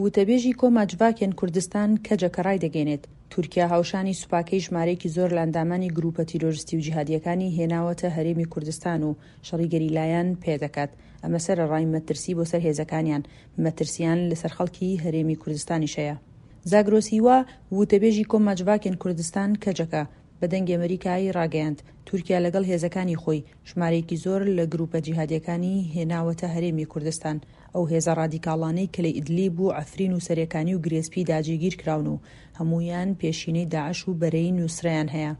وتەبێژی کۆما جڤاکێن کوردستان، کەجەکە ڕایدەگەیەنێت، تورکیا هاوشانی سوپاکەی ژمارەیەکی زۆر لە ئەندامانی گرووپە تیرۆرستی و جیهادییەکانی هێناوەتە هەرێمی کوردستان و شەڕی گەریلایان پێدەکات، ئەمە سەرەڕای مەترسی بۆ سەر هێزەکانیان، مەترسییان لەسەر خەڵکی هەرێمی کوردستانیش هەیە. زاگرۆس هیوا، وتەبێژی کۆما جڤاکێن کوردستان، کەجەکە، بە دەنگی ئەمەریکای ڕاگەیاند، تورکیا لەگەڵ هێزەکانی خۆی ژمارەیەکی زۆر لە گرووپە جیهادییەکانی هێناوەتە هەرێمی کوردستان، ئەو هێزە ڕادیکاڵانەی کە لە ئیدلیب و عەفرین و سەرێکانی و گرێسپیدا جێگیرکراون و هەموویان پێشینەی داعش و بەرەی نوسرەیان هەیە.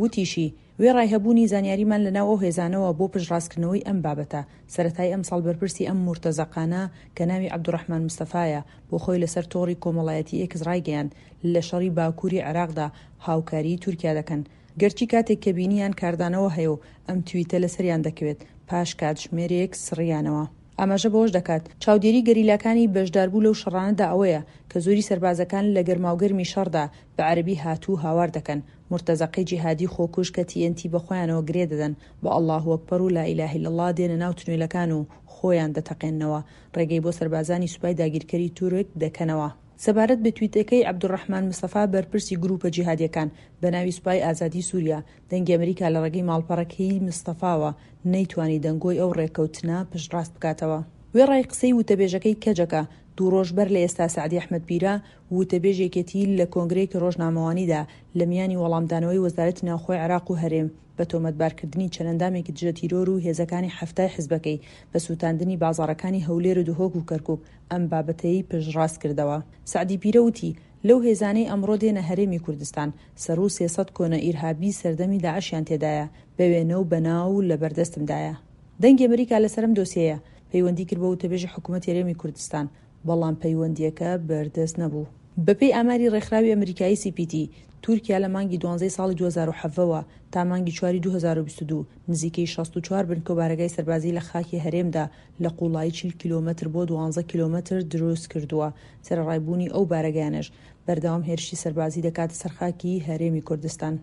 وتیشی، وێڕای هەبوونی زانیاریمان لەناو ئەو هێزانەوە بۆ پشتڕاستکردنەوەی ئەم بابەتە، سەرەتای ئەمساڵ بەرپرسی ئەم مورتەزەقانە کە ناوی عەبدولڕەحمان مستەفایە، بۆ خۆی لەسەر تۆڕی کۆمەڵایەتی ئێکس ڕایگەیاند، لە شەڕی باکووری عێراقدا هاوکاریی تورکیا دەکەن، گەرچی کاتێک کە بینیان کاردانەوە هەیە و ئەم تویتە لەسەریان دەکەوێت، پاش کاتژمێرێک سڕیانەوە. ئاماژە بەوەش دەکات، چاودێری گەریلاکانی بەشداربوو لەو شەڕانەدا ئەوەیە کە زۆری سەربازەکان لە گەرماوگەرمی شەڕدا بە عەرەبی هاتوو هاوار دەکەن، مورتەزەقەی جیهادی خۆکوژ کە تی ئێن تی بەخۆیانەوە گرێ دەدەن، بە ئەڵڵاهوئەکبەر و لائیلاهیلەڵڵا دێنە ناو تونێلەکان و خۆیان دەتەقێننەوە، ڕێگەی بۆ سەربازانی سوپای داگیرکەری تورک دەکەنەوە. سەبارەت بە تویتەکەی عەبدولڕەحمان مستەفا بەرپرسی گرووپە جیهادییەکان بە ناوی سوپای ئازادی سووریا، دەنگی ئەمریکا لە ڕێگەی ماڵپەڕەکەی مستەفاوە نەیتوانی دەنگۆی ئەو ڕێککەوتنە پشتڕاست بکاتەوە. وێڕای قسەی وتەبێژەکەی کەجەکە، دوو ڕۆژ بەر لە ئێستا سەعدی ئەحمەد پیرە، وتەبێژی یەکێتی لە کۆنگرەیەکی ڕۆژنامەوانیدا لە میانی وەڵامدانەوەی وەزارەتی ناوخۆی عێراق و هەرێم بە تۆمەتبارکردنی چەند ئەندامێکی دژە تیرۆر و هێزەکانی حەفتای حزبەکەی بە سووتاندنی بازاڕەکانی هەولێر و دهۆک و کەرکوک ئەم بابەتەی پشتڕاست کردەوە. سەعدی پیرە وتی، لەو هێزانەی ئەمڕۆ دێنە هەرێمی کوردستان، سەروو 300 کۆنە ئیرهابی سەردەمی داعشیان تێدایە، بە وێنە و بە ناو لە بەردەستمدایە. دەنگی ئەمریکا لەسەر ئەم دۆسیەیە پەیوەندی کرد بە وتەبێژی حکومەتی هەرێمی کوردستان، بەڵام پەیوەندییەکە بەردەست نەبوو. بەپێی ئاماری ڕێکخراوی ئەمریکایی سی پی تی، تورکیا لە مانگی دوانزەی ساڵی 2017 وە تا مانگی چواری 2022 نزیکەی 64 بنکە و بارەگای سەربازی لە خاکی هەرێمدا لە قووڵایی 40 کیلۆمەتر بۆ 12 کیلۆمەتر دروست کردووە، سەرەڕای بوونی ئەو بارەگایانەش بەردەوام هێرشی سەربازی دەکاتە سەر خاکی هەرێمی کوردستان.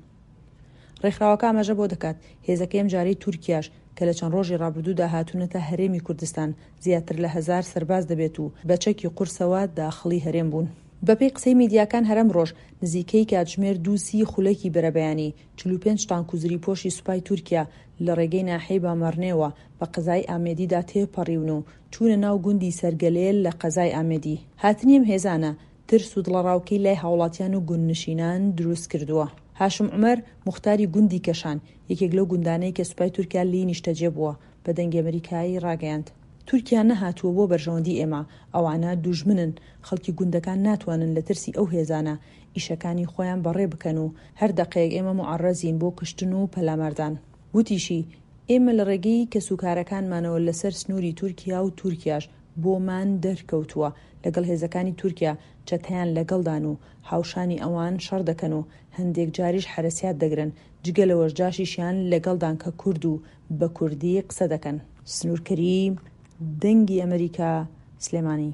ڕێکخراوەکە ئاماژە بەوە دەکات، هێزەکەی ئەمجارەی تورکیاش کە لە چەند ڕۆژی ڕابردوودا هاتوونەتە هەرێمی کوردستان زیاتر لە هەزار سەرباز دەبێت و بە چەکی قورسەوە داخڵی هەرێم بوون. بەپێی قسەی میدیاکان هەر ئەمڕۆش نزیکەی کاتژمێر دوو سی خولەکی بەرەبەیانی 45 تانک و زریپۆشی سوپای تورکیا لە ڕێگەی ناحیەی بامەڕنێوە بە قەزای ئامێدیدا تێپەڕیون و چوونە ناو گوندی سەرگەلێ لە قەزای ئامێدی. هاتنی ئەم هێزانە ترس و دڵەڕاوکێی لای هاوڵاتیان و گوندنشینان دروست کردووە. هاشم عومەر، موختاری گوندی کەشان، یەکێک لەو گوندانەی کە سوپای تورکیا لێی نیشتەجێ بووە، بە دەنگی ئەمریکای ڕاگەیاند، تورکیا نەهاتووە بۆ بەرژەوەندی ئێمە، ئەوانە دوژمنن، خەڵکی گوندەکان ناتوانن لە ترسی ئەو هێزانە، ئیشەکانی خۆیان بەڕێ بکەن و هەر دەقەیەک ئێمە موعەڕەزین بۆ کوشتن و پەلاماردان. وتیشی، ئێمە لە ڕێگەی کەسوکارەکانمانەوە لەسەر سنووری تورکیا و تورکیاش بۆمان دەرکەوتووە لەگەڵ هێزەکانی تورکیا چەتەیان لەگەڵدان و هاوشانی ئەوان شەڕ دەکەن و هەندێک جاریش حەرەسیات دەگرن، جگە لەوەش جاشیشیان لەگەڵدان کە کورد و بە کوردی قسە دەکەن. سنوور کەریم، دەنگی ئەمەریکا، سلێمانی.